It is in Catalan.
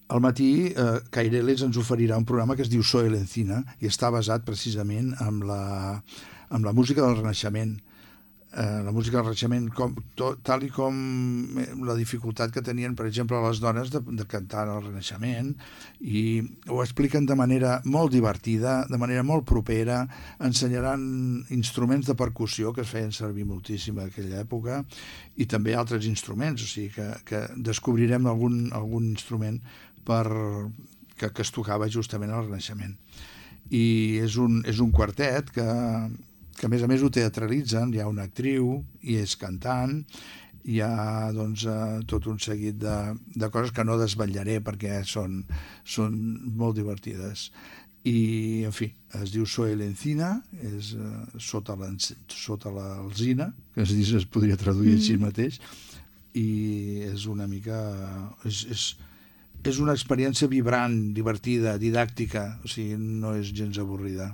Al matí, Caireles ens oferirà un programa que es diu Soy l'Encina i està basat precisament en la música del Renaixement. La música del Renaixement, tal i com la dificultat que tenien, per exemple, les dones de cantar al Renaixement, i ho expliquen de manera molt divertida, de manera molt propera, ensenyaran instruments de percussió que es feien servir moltíssim a aquella època i també altres instruments, o sigui que descobrirem algun instrument que es tocava justament al Renaixement. I és un quartet que a més ho teatralitzen, hi ha una actriu i és cantant, hi ha doncs, tot un seguit de coses que no desvetllaré perquè són molt divertides. I, en fi, es diu Soy l'Encina, és sota l'alzina, que es podria traduir així mateix, i és una mica... És una experiència vibrant, divertida, didàctica, o sigui, no és gens avorrida.